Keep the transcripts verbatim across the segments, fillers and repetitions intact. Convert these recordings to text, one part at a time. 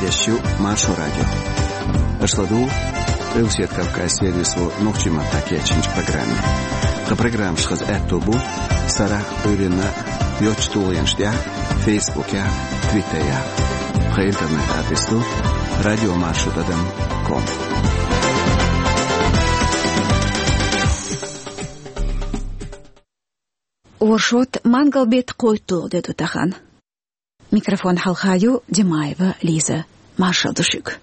Эфирехь ю Маршо радио. Аша ладугӀу Къилбаседа Кавказан сервисо нохчийн маттахь кечйинчу программе. Тхан программаш хаза аьтто бу сарахь а, Ӏуьйранна а йоцачу тулгӀенаш тӀехь, Фейсбукехь а, Твиттерехь а. Тхан интернет-адрес ду радиомаршо тӀадам ком. Оршот, мангал-беттан кхойтталгӀа де ду тахана. Микрофон хьалха ю Димаева Лиза. Маршалла ду шуьга.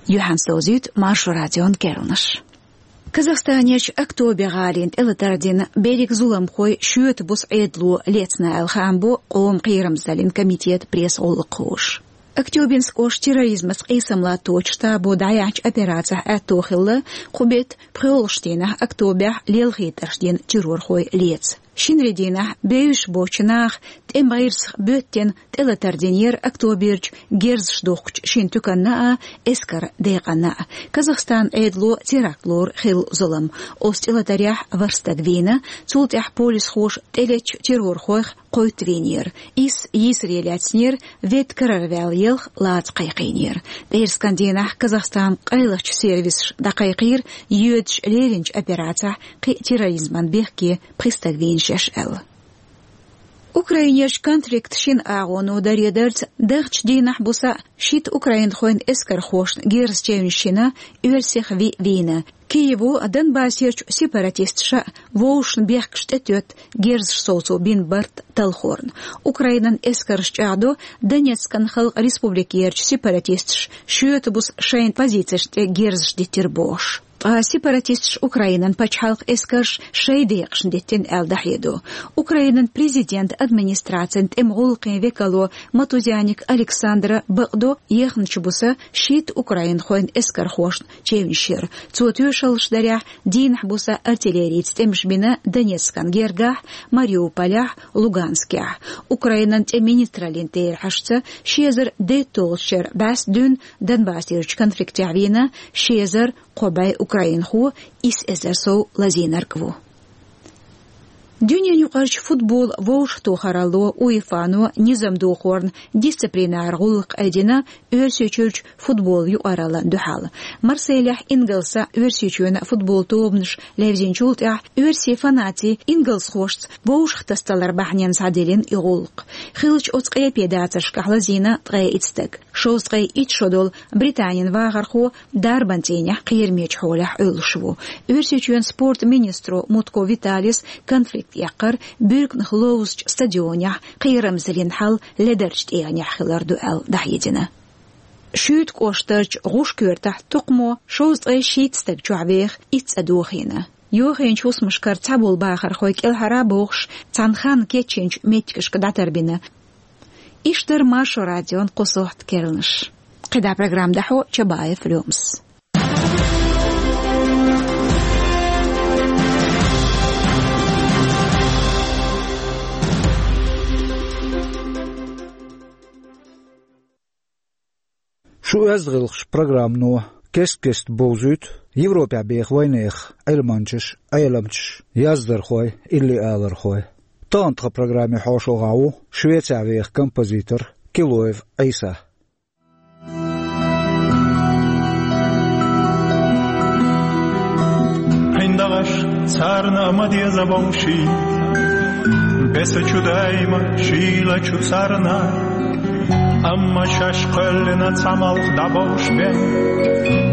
Юьхьанца довзуьйту Маршо радион керланаш. Казахстанерчу Актобе гӀалина тӀелатар дина берриг зуламхой шоьтан буса Ӏедало лецна аьлла, хаам бо къоман кхерамзаллин комитетан пресс-гӀуллакххоша. Актёбинск кӀоштан терроризмаца къийсам латточу штабо дӀаяьхьначу операцехь аьтто хилла кху беттан пхоьалгӀачу дийнахь Актобехь лелхийтарш дина террорхой леца. Шинарин дийнахь бевзаш боцчу наха тӀеман гӀирсах боьттина тӀелатар динера Актоберчу герзаш духкучу шина туьканна а, эскаран декъанна а. Казахстанан Ӏедало теракт лору хилла зулам. Оцу тӀелатарехь ворхӀ стаг вийна, цул тӀаьхьа полисхоша тӀелеттачу террорхойх кхойтта вийнера. Исс йийсаре лаьцнера, ведда карара ваьлла елха лаца кхайкхийнера. ПӀераскан дийнахь Казахстанан къайлахчу сервисаша дӀакхайкхийра, йоьдуш леринчу операцехь кхин а терроризман бехке пхи стаг вийна шаьш аьлла. Украинерчу конфликтан шина агӀоно даре дарца, дахчу дийнахь буса шийтта украинхойн эскархошна герз чевнаш йина, оьрсех виъ вийна. Киево Донбассерчу сепаратисташа а, вовшашна бехкаш тӀетоьтту герзаш совцо бина барт талхорна. Украинан эскарша чӀагӀдо, Донецкан Халкъан Республикерчу сепаратисташа шоьтан буса шайн позицешна тӀе герзаш диттира бохуш. Ткъа сепаратисташа Украинан пачхьалкхан эскарш шайн декъашна диттина аьлла дӀахьедо. Украинан президентан администрацин тӀеман гӀуллакхийн векало Матузяник Александра бакъдо, ехначу буса шийтта украинхойн эскархошна чевнаш йира. Цо тоьшаллаш дарехь, дийнахь буса артиллерица тӀемаш бина Донецкан гергахь, Мариуполехь, Луганскехь. Украинан тӀеман министраллин терахьашца, ши эзар дейтталгӀачу шеран бӀаьста дуьйна Донбассерчу конфликтехь вийна ши эзар кхо бӀе украинхо, исс эзар сов лазийнарг а ву. Дуьненаюкъарчу футболан вовшахтохаралло УЕФА-но низам дохорна дисциплинара гӀуллакх айдина Оьрсийчуьрчу футболан юкъараллина дуьхьал. Марселехь ингалсан, Оьрсийчоьнан футболан тобанаш левзинчул тӀаьхьа оьрсийн фанатийн ингалсхошца вовшахтасадалар бахьанина схьадиллина и гӀуллакх. Хиллачу оцу къепе дацаршкахь лазийна ткъе итт стаг. Шовзткъе итт шо долу Британин вахархо дарбан цӀийнехь кхерамечу хьолехь Ӏуьллуш ву. Оьрсийчоьнан спортан министро Мутко Виталис конфликт эккхар буьрканах ловзучу стадионехь кхерамзаллин хьал ледарчу тӀегӀанехь хилар ду аьлла дӀахьедина. Шуьйта кӀоштарчу ГӀуш коьртахь тукхамо шовзткъе шийтта стаг чохь веха итт цӀа дохийна. Йохийначу хӀусамашкара цхьаболу бахархой кӀелхьара бохуш, цхьана ханна кечйинчу меттигашка дӀатарбина. Иштта дара Маршо радион кху сохьта керланаш. КхидӀа программа дӀахьо Чабаев Лемас. Шу оьзда гӀиллакхаш программано кест-кеста бовзуьйту Европехь беха вайнехан Ӏилманчаш, Ӏеламчаш, яздархой, илли алархой. Тахана тхан программе хьошалгӀахь ву Швецехь веха композитор Килоев Ӏийса. ГӀиндагӀаш царна а ма деза вовшийн, беса чу даима шийла чу царна. Амма шаьш кхоьллина цхьа малх дӀабовш бен,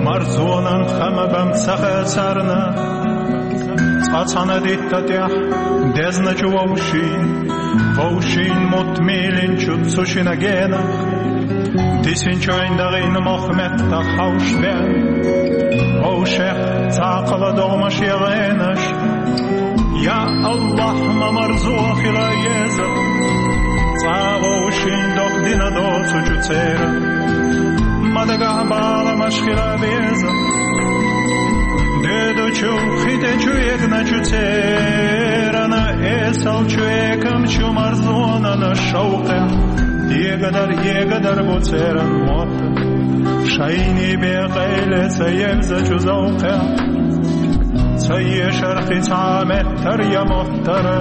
марзонан хама бан ца хаа царна. Цкъа цхьана дитта тӀехь дезначу вовшийн, вовшийн мутт мийлинчу цу шина генах, дисинчу айн дагӀийна мох меттах хьовш бен, вовшех цхьаккхала догӀмаш я гӀенаш. Я АллахӀ, ма марзо хила еза, цкъа а вовшийн докъ дина доцучу церан ма дагахь баламаш хила беза. Эдучу, хитечу эгначу церана, эсалчу экамчу марзонана шовкъя. Дегадар, егадар бу церан мот. Шайни бекъайле ца евзачу завкъя. Ца ешархи ца меттар я моттара.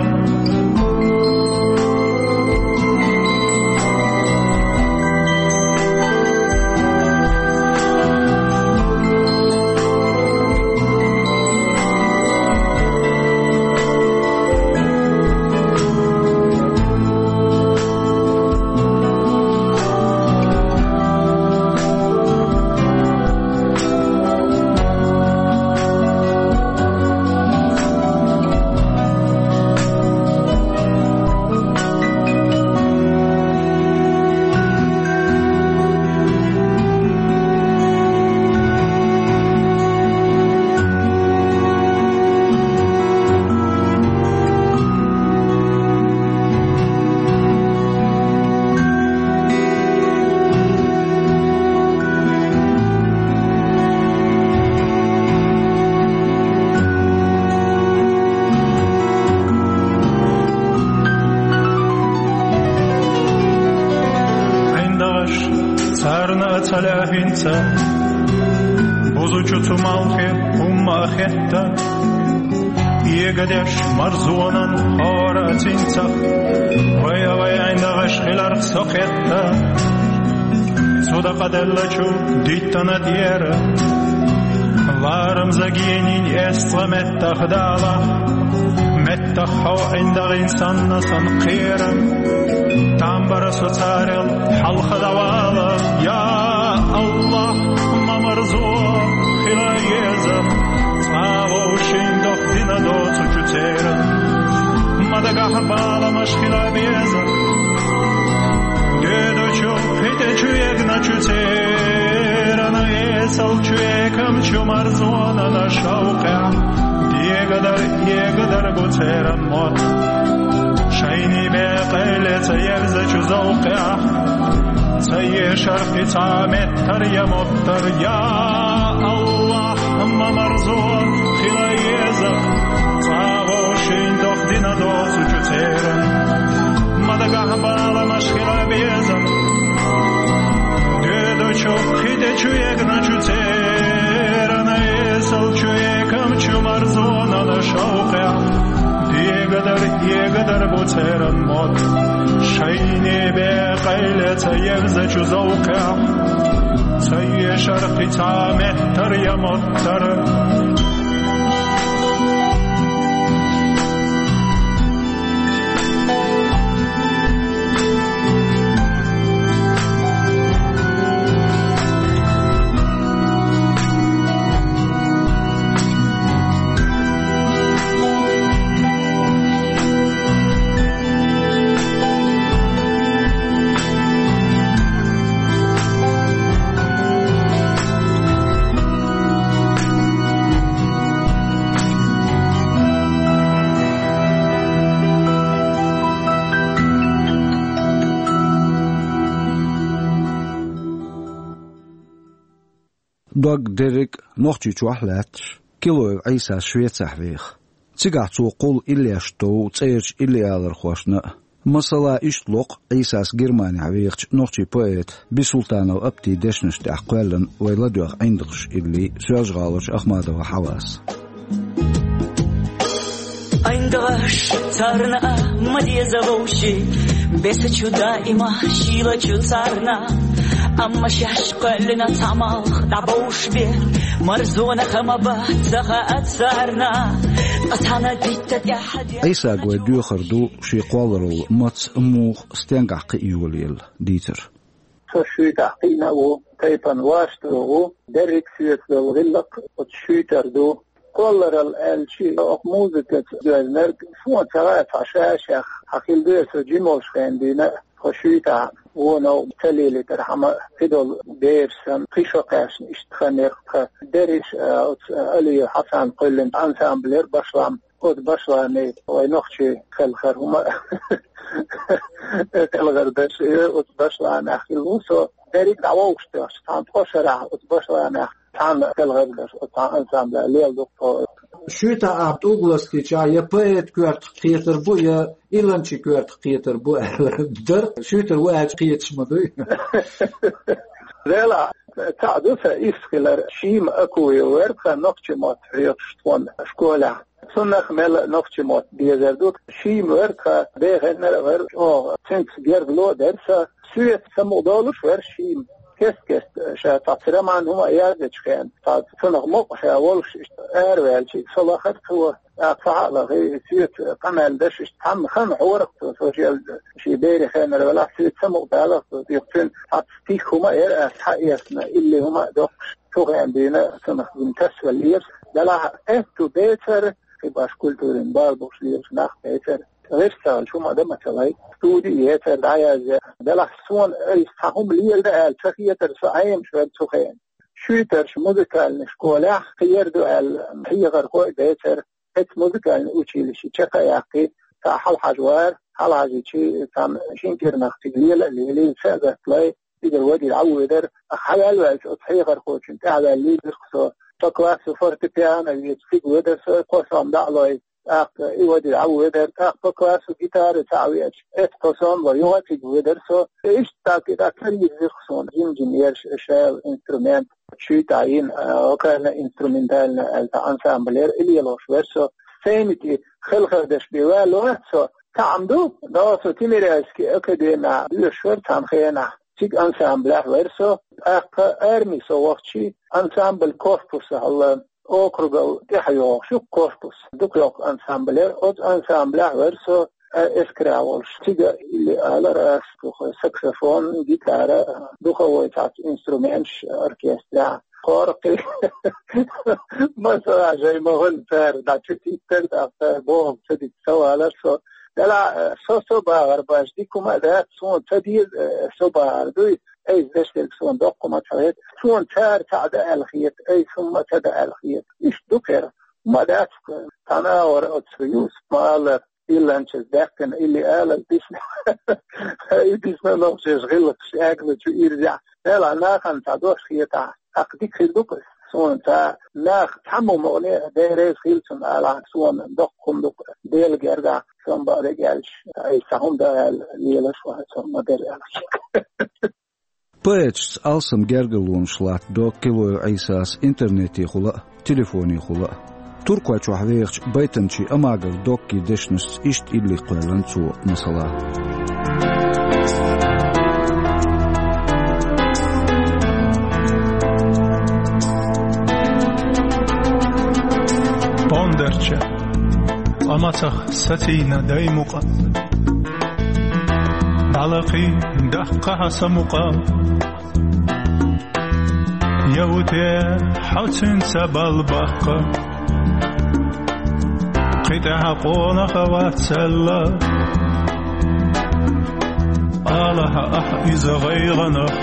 ГӀиндагӀаш царна а ца лаьхӀинца, бузучу цу малхе хӀумма а хетта. Эгадеш марзонан хӀора а цинцах, вай а вай ГӀиндагӀаш хиларх со кхетта. Цу дакъаделлачу диттана тӀера, ларам загенин эсцӀа меттах дала, меттах хьо ГӀиндагӀин санна сан кхера. Тамбара со царел хьалха давала, я Аллах, ма марзо хила еза, цӀа вовшин дох дина доцучу церан. Ма дагахь бала машхила беза. Дедучу, хитечу, эгначу церана, эсалчу экамчу марзонана шавкъя. Дегадар, егадар бу церан мот. Шайни бекъайле ца ерзачу завкъя. Ца ешархи ца меттар я моттар, я Аллах, ма марзо хила еза. ЦӀа вовшин дох дина доцучу церан. Ма дагахь бала машхила беза. Дедучу, хитечу, эгначу церана, эсалчу экамчу марзонана шавкъя. Дегадар, егадар бу церан мот. Шайни бекъайле ца ерзачу завкъя. Ца ешархи ца меттар я моттар. Дог дерриг а Нохчийчохь лаьтташ, Килоев Ӏийсас Швецехь веха. Цигахь цо кхуллу иллеш тов цӀерачу иллиалархошна а. Масала, иштта ло-кх Ӏийсас Германехь вехачу нохчийн поэта Бисултанов Аптин дешнаш тӀехь кхоьллина вай ладоьгӀна «ГӀиндагӀаш» илли Соьлжа-ГӀаларчу Ахмадова Хьавас. ГӀиндагӀаш царна а ма деза вовши, бесачу даима шийлачу царна. Амма шаьш кхоьллина цхьа малх дӀабовш бер, марзонах ма бац ца хаа царна. Ткъа цхьана дитта тӀаьхьа де- Ӏийсага вай доьхур ду шен кхолларалла маца, муха, стенгахь кхиа йолаелла дийцар. Со шуьйтахь кхиъна а ву, тайпана вашталла ву, дерриг а соьца долу гӀиллакх оцу шуьйтара ду. Кхолларалла аьлча, оха музыкаца доьзнарг, суна ца хаьа, цхьа ша-шех хьан хила деза, со жима волуш хенахь дийна, тхо шуьйтахь вонах ца лелийтархьама, кхидолу бераш санна, кхин шо кхаьчна иштта хан яра тхан. Дерриш а, оцу Алиев Хьасан кхоьллина ансамблера башлам. Оцу башламе вай нохчий хелхар хӀума, хелхар даш, э, оцу башламехь хилла ву со. дерриг дӀавогӀуш тохча, цхьана ткъо шарахь оцу Башланехь цхьана хелхаргаш оцу цхьана ансамбла лела ду-кх тхо. Шуьйтахь ахь тӀулг ластийча, я поэт коьртах кхетар бу, я иланчи коьртах кхетар бу аьлла дара. Шуьйтара ву аьлча кхеташ ма дуй. Делахь, цхьаъ ду сан иштта хилар, Шима Акуев вара тхан нохчийн мотт хьоьхуш тхуна школехь. Цунах мел нохчийн мотт безар ду. Шима вара тхан дехеннара а вара, чӀогӀа цуьнца гергарло а дара сан. Соьца самукъадолуш вара Шима. Кест-кеста ша цхьацца роман хӀума а яздечу хенахь, цхьа цунах мукъа ша волуш иштта араваьлча, со лахара цо, тӀаккха схьа а лахе, соьца къамел деш иштта цхьамма хан хьора-кх цо, со шел шен берийн хенара велахь, соьца самукъадалара цо. Юха цуьнан цхьацца стих хӀума а яра ас схьаэцна, илли хӀума а доккхуш, цу хенахь дуьйна цунах дина тасаваллера. Делахь аьтту бецара, кхин башха культурин бала бохуш лелаш нах бецара. ГӀирс ца хилча, хӀума а дан ма ца лай. Студи а ецара дӀаязъян. Делахь суна айса цхьа хӀума леладан аьлла ца хетара, со Ӏемаш вара цу хенахь. Шуьйтарчу музыкальный школехь кхин яр ду аьлла, хьехархой а бецара, оцу музыкальный училище чекх а яьккхи, цхьа хьалахьажа вара, хьалахьажийча, цхьана шина кӀирнах цига лела а лелий, са а гатдалий, цигара вадийла Ӏа а ведара, ахьа хьаваьлла ваьлча, оцу хьехархочунна тӀаьхьаваьлла лийра-кх со. По классу фортепиано веача, цига ведара со, кхо сом дӀа а лой, тӀаккха и вадийла Ӏа а ведара, тӀаккха по классу гитара цхьаъ веача, эцу кхо сом лой, юха а цига ведара со. Иштта тӀаккха и дӀа карийра-кх суна жим-жим ерш, шайла инструмент, чуьйтахь йина, а, вокально-инструментальный аьлла цхьа ансамбль яра, и лелош вара со. Сцени тӀе хелхардеш бен ваьлла вац со. Цхьаъ-м ду, но со Тимирязевский академехь доьшуш вара цхьана хенахь. Цига ансамблехь вара со, тӀаккха арми со вахча, ансамбль корпуса хьалха округал тӀаьхьа йогӀуш ю корпус. Дукха йоккха ансамбль яра, оцу ансамблехь вара со, а, эскаре волуш. Цига илли алара ас, дукха саксофон, гитара, духовой цхьацца инструменташ оркестрехь. Кхоркхи. Масала, жай ма хӀун цара, дӀа чу титтар, тӀаккха цара бохам ца дита, ца валар со. Делахь, э, со, со бахар баш, дика хӀума а дац, суна ца деза, э, со бахар дуй, айса деш дерг суна доккха хӀума ца хета, суна цара цхьаъ дан аьлла хета, айса хӀумма ца дан аьлла хета. Иштта ду кхера. ХӀума а дац, цхьана агӀор оцу Юсуп ма-аллара, иланчаша даьккхина илли ала дисна. И дисна нохчаша гӀиллакхаш эгна чу ирзехь. Делахь, нахана цхьа дош хетахь, тӀаккха дика хир ду-кх. Суна цхьа нах цхьаммо мукъане а дерриг хила цунна алахь, суна доккха хӀума ду-кх, Делан гергахь, сон бакъдерг аьлча, айса цхьа хӀума дан аьлла лелаш вац, сон ма-дарра аьлча. Поэташца алсам гергарлонаш латтадог Килоев Ӏийсас интернетехула а, телефонехула а. Туркойчохь вехачу байтанчи Амагов Доккий дешнашца иштта илли кхоьллина цо, масала. Пондарча, а мацах сацийна дай мукъа. ДӀалакхий, даккха хьан са мукъа. Я ву те хьо цуьнца балбаккха, кхин тӀаьхьа къонах а вац аьлла. Ала хьан ахь иза гӀайгӀанах,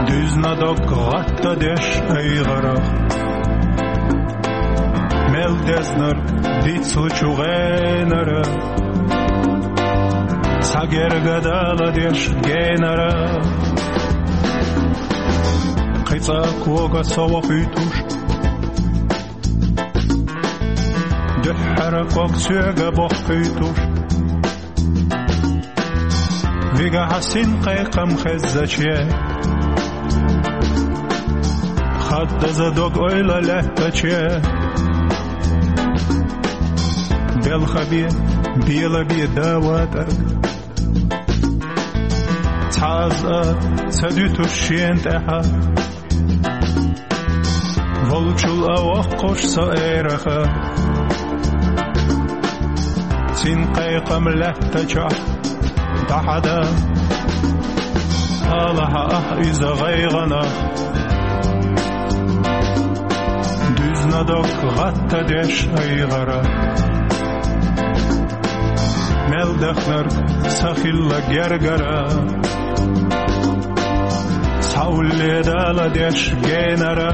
дуьзна дог гӀаттадеш айгӀарах. Мел дезнарг дицлучу гӀенара, цхьа герга дала деш генара. Кхин цкъа кога со вохуьйтуш, дуьххьара ког соьга бохуьйтуш. Вигахь син кхайкхам хеззаче, хаддаза дог ойла лаьттаче, белхабе, белабе да ватӀарг. Цхьа аз а ца дуьтуш шена тӀаьхьа, волчул а воккхуш со эраха. Цин кхайкхам лаьттачохь дӀахьада, ала хьан ахь иза гӀайгӀанах, дуьзна дог гӀаттадеш айгӀара. Мел дахнарг са хилла гергара, схьаулле дала деш генара.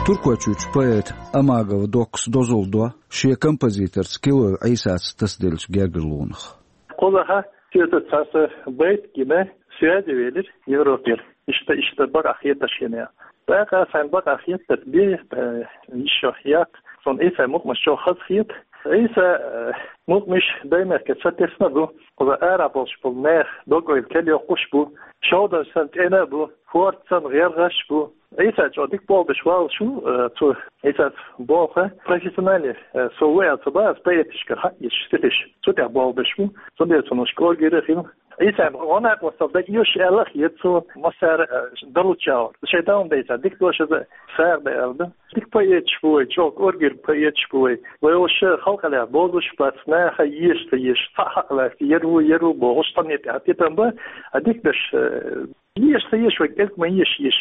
Туркойчуьрчу поэта Амагова Доккас дозалла до шен композиторца Килоев Ӏийсаца тасаделлачу гергарлонах. Кхузахь соьца цхьа сан байт гина, связи велира Европера. Иштта, иштта бакъахь хеташ хинехь. ТӀаккха сан бакъахь хеташ бен, э, йиш йо яккха, сон Ӏийсай мукъамаш чӀогӀа хаза хета. Ӏийса, э, мукъамаш даймехкан сатесна бу, кхуза ара болуш болу нах догойла кел йоккхуш бу, шовдан сан тӀена бу, хӀорд сан гӀергӀаш бу. Ӏийса чӀогӀа дика болх беш валлалц, э, цу Ӏийсас боху, профессиональный, э, со ву аьлла ца боху, ас поэташкара хьаъ еш, стихаш. Цу тӀехь болх беш ву, цундела цунах кӀоргера хила. Ӏийсан гӀо-накъосталла дага йош аьлла а хета цо, массара, э, далучча а. Шайтан дайца, дика дош иза сагӀа дан аьлла ду. Дика поэташ бу вай, чӀогӀа кӀоргера поэташ бу вай. Вай уьш халкъалехь бозуш бац, наха еш ца еш, цхьаъ хьакъ лаьцна, ер ву, ер ву бохуш, цхьанне тӀехь тӀетан бан, а дика даш, э, еш ца еш, вай кӀелг ма еш, еш.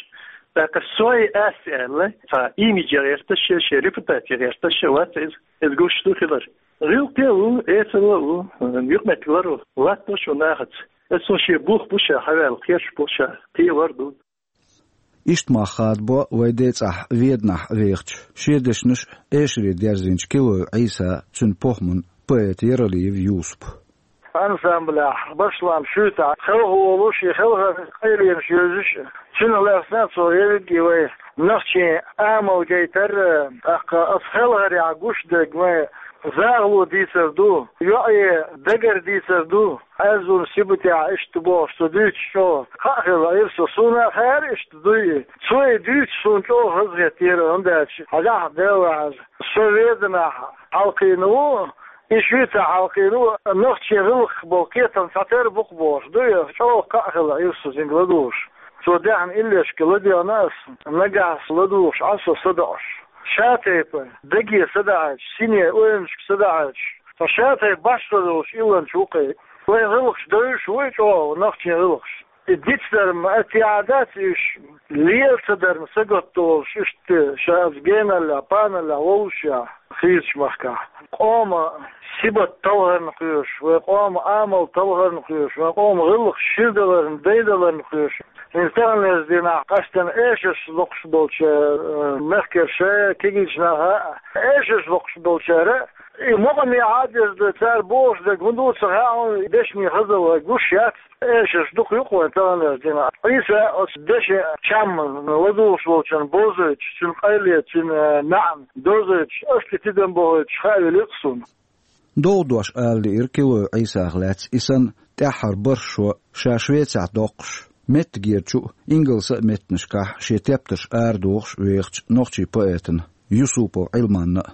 ТӀаккха сой ас аьлла, цхьа имидж гӀерташ, шен репутаци гӀерташ вац иза. Иза гуш ду хилар. ГӀиллакхе а ву, эсала а ву, юкъаметтиг лар ву, латто шу нахаца. Аса шен бух бу ша, хьаваьлла кхерш бу ша, кхевар ду. Иштта мах хадабо вай ден цӀахь Веданахь вехачу, шен дешнаш а эшаре дерзийначу Килоев Ӏийсан, цуьнан похӀман поэта Яралиев Юсупа. Ансамблехь, башлам шуьйцахь, хелха волуш, и хелхарниг къайленаш йевзаш, цуьнах лаьцна цо ерриге вай нохчийн амал гайтар, тӀаккха аса хелхарехь гуш дерг вайн загӀало дийцар ду, йоӀе дагар дийцар ду, Ӏаьржонан сибатехь иштта бохуш, со дуьйцуш чӀогӀа кхаъ хилла Ӏийса, суна а хаьара иштта дуй. Цо и дуьйцуш суна чӀогӀа хазахетара, хӀунда аьлча хьажахь, Дела ваьхьаза, со Веданахь хьалкхийна ву, и шуьйцахь хьалкхийна ву, нохчийн гӀиллакх болу кхетам цхьатера бу-кх бохуш дуй, чӀогӀа кхаъ хилла Ӏийса цуьнга ладугӀуш. Цо даьхна иллешка ладоьгӀна ас, нагахь ас ладугӀуш Ӏа со садоӀуш. Ша тайпа, даге садаӀача, сине, ойланашка садаӀача, ткъа ша тайпа башхалла йолуш илланча ву-кх и. Вайн гӀиллакхаш девзаш вуй чӀогӀа, нохчийн гӀиллакхаш. И дицдар-м, а, тӀехь дац уьш, лела ца дар-м сагатдолуш, иштта ша аса геналлехь, паналлехь воллушехь, хийрачу махкахь. Къоман сибат талхарна кхоьруш, вайн къоман амал талхарна кхоьруш, вайн къоман гӀиллакхаш ширдаларна, дайдаларна кхоьруш. ХӀинца таханлерчу дийнахь къаьсттина эшарш локхуш болчара, э, мехкарша, кегийчу наха а, эшарш локхуш болчара, и мукъамехьа а деза ду, цара бохуш дерг хӀун ду ца хаьа, дешнийн хазалла гуш яц, эшарш дукха ю-кх вайн таханлерчу дийнахь. Ӏийса оцу дешан чам ладугӀуш волчун бозуьйтуш, цуьнан къайле, цуьнан, э, маьӀна дозуьйтуш, ас тӀе тидам бохуьйтуш хаа велира-кх суна. ДовгӀа дош ала лиира Килоев Ӏийсах лаьцна и санна тӀаьххьара бархӀ шо ша Швецехь доккхуш, меттигерчу а, ингалсан а меттанашкахь шен тептарш арадохуш вехачу нохчийн поэтана Юсупов Ӏилманна а.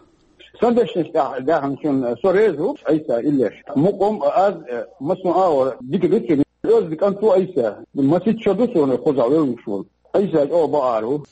Сан дешнаш тӀехь даьхначунна со реза ву, Ӏийса иллеш. Мукъам а аз, э, массо а агӀор дика ду цуьнан. Оьзда кӀант ву Ӏийса. Масийтта шо ду суна кхузахь вевзаш волу. Ӏийса чӀогӀа бакъахьар ву.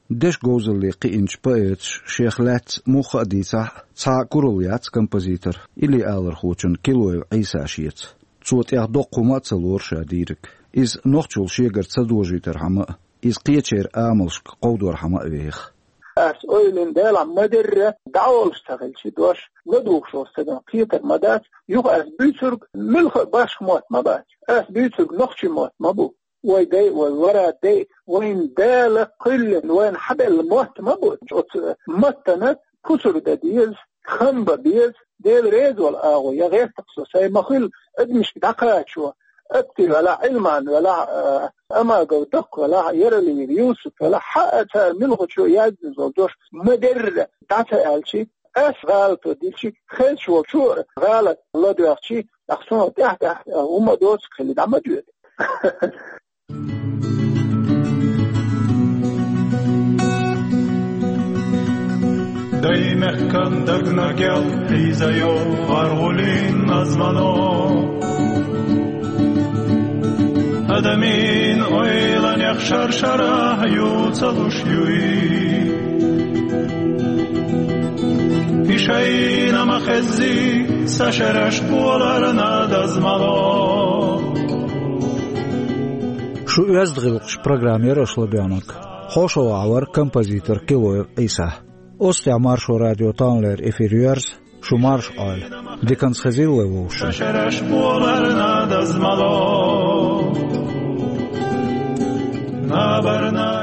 Дешан говзалле кхиъначу поэташа шех лаьцна муха а дийцахь а, цхьа а куралла яц композитор илли-алархочун Килоев Ӏийса шеца. Цо тӀех доккха хӀума а ца лору ша дийриг. Иза нохчалла шегара ца дожийтархьама а, иза кхечеран амалшка кховдорхьама а веха. Ас ойлина, Делахь ма-дарра, дӀаволуш ца хилча дош, ладугӀуш волу стагана кхетар ма дац, юха ас буьйцург муьлхха а башха мотт ма бац. Ас буьйцург нохчийн мотт ма бу. Вай дай, вай вара дай, вайна Дала кхоьллина, вайна хьабелла мотт ма бу. Оцу маттана пусар дан деза, хам бан беза, Дела реза волу агӀо, я гӀерта-кх со, сайн ма-хуьллу адамашка дӀакхачо, Атти велахь, Ӏилман велахь, а, Амагов Докка велахь, Яралиев Юсуп велахь, хьаа цара муьлххачо яздина долу дош ма-дарра дӀа ца аьлчи, ас гӀалато дилчи, хезаш волчо а гӀалат ладоьгӀчи, тӀаккха суна тӀаьхь-тӀаьхьа хӀума доцург хилла дӀа ма доьду. Даймехкан дагна гел хьийзайо гӀаргӀулин назмано. Адамийн ойланех шар-шарахь ю ца луш юй. И шайна ма хеззий, са шераш кхоларна дазмало. Шу «Оьзда гӀиллакхаш» программа яра аша ладоьгӀнарг. ХьошалгӀахь вара композитор Килоев Ӏийса. Оцу тӀехь Маршо радион таханлера эфир йоьрзу, шу марша Ӏойла. Диканца хезийла вай вовшашна. Са шераш кхоларна дазмало. Набарна